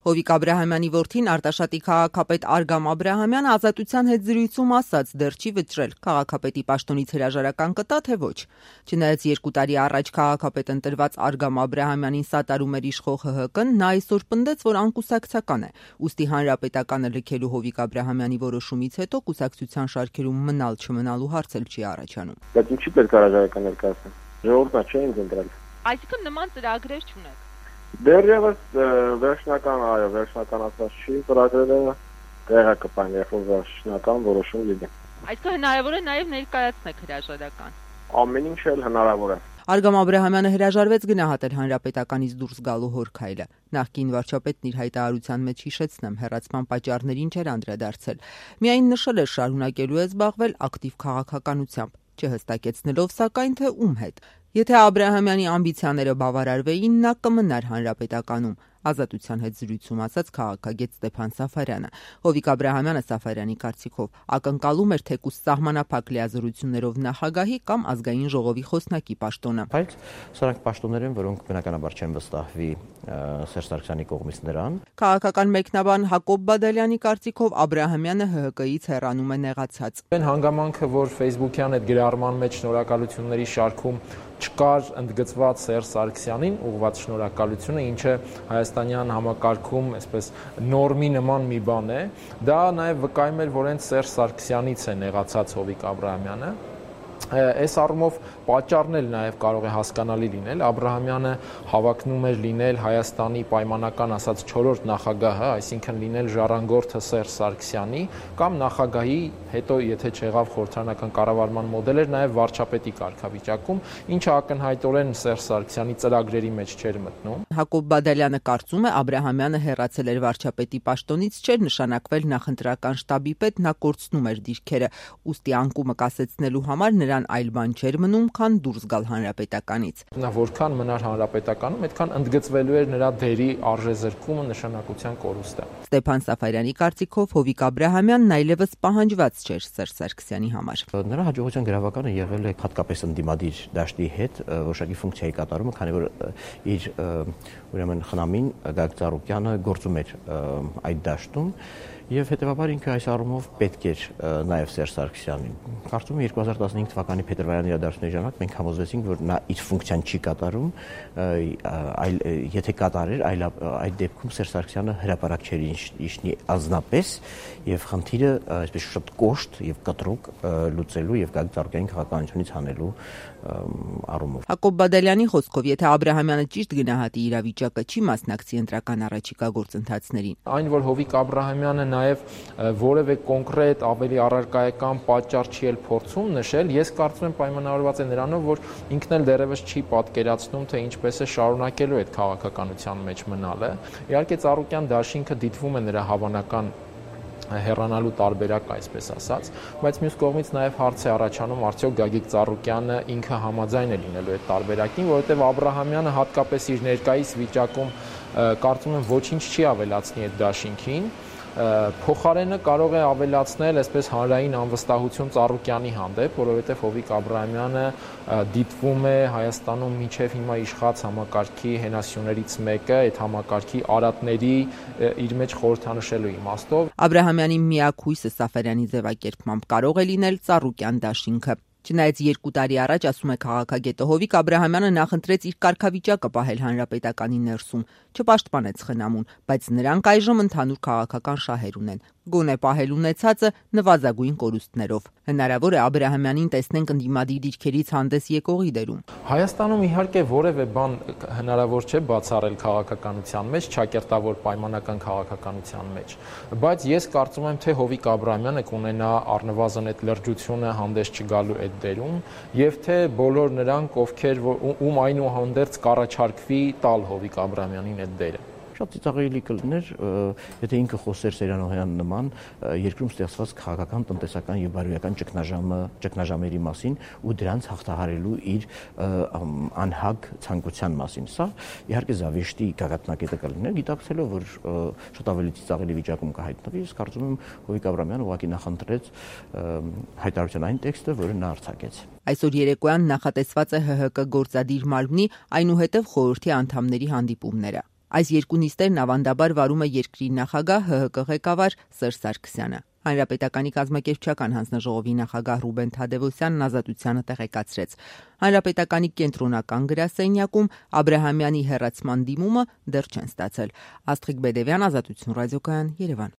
Հովիկ Աբրահամյանի որդին Արտաշատի քաղաքապետ Արգամ Աբրահամյանը Ազատության հետ զրույցում ասաց, դեռ չի վճռել քաղաքապետի պաշտոնից հրաժարական կտա, թե ոչ։ Չնայած 2 տարի առաջ քաղաքապետ ընտրված Արգամ Աբրահամյանին սատարում էր իշխող ՀՀԿ-ն, նա այսօր պնդեց, որ անկուսակցական է։ Ուստի հանրապետականը լքելու Հովիկ Աբրահամյանի որոշումից հետո կուսակցության շարքերում մնալ-չմնալու հարց էլ չի առաջանում։ Բայց ինչի՞ պետք է հրաժարական ներկայացնել։ Ժողովուրդը չէ ինձ ընտրել։ Այսինքն նման ծրագրեր չունեք։ Դեռևս վերջնականացված չի ծրագրերը, տեղը կպայն, երբ որ վերջնական որոշում լինի։ Այսինքն հնարավոր է նաև ներկայացնեք հրաժարական։ Ամեն ինչ էլ հնարավոր է։ Արգամ Աբրահամյանը հրաժարվեց գնահատել հանրապետականից դուրս գալու հորքայլը։ Նախկին վարչապետն իր հայտարարության մեջ հիշեցնեմ հեռացման պատճառներին չէր անդրադարձել։ Միայն նշել էր շարունակելու է զբաղվել ակտիվ քաղաքականությամբ, չհստակեցնելով սակայն թե ում հետ։ Եթե Աբրահամյանի ամբիցիաները բավարարվեին, նա կմնար հանրապետականում, Ազատության հետ զրույցում ասաց քաղաքագետ Ստեփան Սաֆարյանը։ Հովիկ Աբրահամյանը Սաֆարյանի կարծիքով ակնկալում էր թեկուզ սահմանափակ լիազորություններով նախագահի կամ ազգային ժողովի խոսնակի պաշտոնը։ Բայց սրանք պաշտոններ են, որոնք բնականաբար չեն վստահվի Սերժ Սարգսյանի կողմից նրան։ Քաղաքական մեկնաբան Հակոբ Բադալյանի կարծիքով Աբրահամյանը ՀՀԿ-ից հեռանում է նեղացած։ Այն հանգամանքը, որ Facebook-յան այդ գրառման մեջ շնորհակալությունների շարքում չկար ընդգծված Սերժ Սարգսյանին ուղղված շնորհակալությունը, ինչը հայաստանյան համակարգում այսպես նորմի նման մի բան է, դա նաև վկայում էր, որ հենց Սերժ Սարգսյանից է նեղացած Հովիկ Աբրահամյանը։ Այս առումով պատճառն էլ նաև կարող է հասկանալի լինել։ Աբրահամյանը հավակնում էր լինել Հայաստանի պայմանական ասած 4-րդ նախագահը, այսինքն լինել ժառանգորդը Սերժ Սարգսյանի կամ նախագահի, հետո եթե չեղավ խորհրդարանական կառավարման մոդելեր, նաև վարչապետի կարգավիճակում, ինչը ակնհայտորեն Սերժ Սարգսյանի ծրագրերի մեջ չէր մտնում։ Հակոբ Բադալյանը կարծում է Աբրահամյանը հեռացել էր վարչապետի պաշտոնից, չէր նշանակվել նախընտրական շտաբի պետ, նա կորցնում էր դիրքերը, ուստի անկումը կասեցնելու համար նրան այլ բան չէր մնում, քան դուրս գալ հանրապետականից։ Նա որքան մնար հանրապետականում, այդքան ընդգծվելու էր նրա դերի արժեզրկումը, նշանակության կորուստը։ Ստեփան Սաֆարյանի կարծիքով Հովիկ Աբրահամյանն այլևս պահանջված չէր Սերժ Սարգսյանի համար։ Նրա հաջողության գրավականը եղել է հատկապես ընդդիմադիր դաշտի հետ որոշակի ֆունկցիայի կատարումը, քանի որ իր ուրեմն խնամին Գագիկ Ծառուկյանը գործում էր այդ դաշտում եւ հետեւաբար ինքը այս առումով պետք էր նաեւ Սերժ Սարգսյանին։ Կարծում եմ 2015 թվականի փետրվարյան իրադարձությունների ժամանակ մենք համոզվեցինք, որ նա իր ֆունկցիան չի կատարում, այլ եթե կատարեր, այդ դեպքում Սերժ Սարգսյանը հրապարակ չէր իշնի ազնապես եւ խնդիրը այսպես շատ կոշտ եւ կտրուկ լուծելու եւ Գագիկ Ծառուկյանի քաղաքականությունից հանելու առումով։ Հակոբ Բադալյանի խոսքով, եթե Աբրահամյանը ճիշտ գնահատի իրավիճակը, չի մասնակցի ընտրական առաջիկա գործընթացներին։ Այն, որ Հովիկ Աբրահամյանը նաև որևէ կոնկրետ ավելի առարկայական պատճառ չի էլ փորձում նշել, ես կարծում եմ պայմանավորված է նրանով, որ ինքն էլ դեռևս չի պատկերացնում, թե ինչպես է շարունակելու այդ քաղաքականության մեջ մնալը։ Իհարկե Ծառուկյան դաշինքը դիտվում է նրա հավանական հեռանալու տարբերակ, այսպես ասած, բայց մյուս կողմից նաև հարց է առաջանում, արդյոք Գագիկ Ծառուկյանը ինքը համաձայն է լինելու այդ տարբերակին, որովհետև Աբրահամյանը հատկապես իր ներկայիս վիճակում կարծում եմ ոչինչ չի ավելացնի այդ դաշինքին, փոխարենը կարող է ավելացնել այսպես հանրային անվստահություն Ծառուկյանի հանդեպ, որովհետև Հովիկ Աբրահամյանը դիտվում է Հայաստանում մինչև հիմա իշխած համակարգի հենասյուներից մեկը, այդ համակարգի արատների իր մեջ խորհրդանշելու իմաստով։ Աբրահամյանի միակ հույսը Սաֆարյանի ձևակերպմամբ կարող է լինել Ծառուկյան դաշինքը։ Չնայած 2 տարի առաջ, ասում է քաղաքագետը, Հովիկ Աբրահամյանը նախընտրեց իր կարգավիճակը պահել հանրապետականի ներսում, չպաշտպանեց խնամուն, բայց նրանք այժմ ընդհանուր քաղաքական շահեր ունեն, գոնե պահել ունեցածը նվազագույն կորուստներով։ Հնարավոր է Աբրահամյանին տեսնենք ընդդիմադիր դիրքերից հանդես եկողի դերում։ Հայաստանում իհարկե որևէ բան հնարավոր չէ բացառել քաղաքականության մեջ, ճակերտավոր պայմանական քաղաքականության մեջ, բայց ես կարծում եմ, թե Հովիկ Աբրահամյանը կունենա առնվազն այդ լրջությունը հանդես չգալու այդ դերում, եւ թե բոլոր նրանք, ովքեր ում այնուհանդերձ կառաջարկվի տալ Հովիկ Աբրահամյանին այդ դերը։ Շատ ծիծաղելի կլիներ, եթե ինքը խոսեր Սեյրանոհյան նման երկրում ստեղծված քաղաքական, տնտեսական եւ բարոյական ճգնաժամերի մասին ու դրանց հաղթահարելու իր անհագ ցանկության մասին։ Սա իհարկե զավեշտի գագաթնակետը կլիներ, գիտակցելով, որ շատ ավելի ծիծաղելի վիճակում կհայտնվի, ես կարծում եմ Հովիկ Աբրահամյանը ուղղակի նախընտրեց հայտարարության այն տեքստը, որը նա արձակեց։ Այսօր երեկոյան նախատեսված է ՀՀԿ գործադիր մարմնի, այնուհետև խորհրդի անդամների հանդիպումները։ Այս երկու նիստերն ավանդաբար վարում է երկրի նախագահ ՀՀԿ ղեկավար Սերժ Սարգսյանը։ Հանրապետականի կազմակերպչական հանձնաժողովի նախագահ Ռուբեն Թադևոսյանն Ազատությանը տեղեկացրեց. Հանրապետականի կենտրոնական գրասենյակում Աբրահամյանի հեռացման դիմումը դեռ չեն ստացել։ Աստղիկ Բեդևյան, Ազատություն ռադիոկայան, Երևան։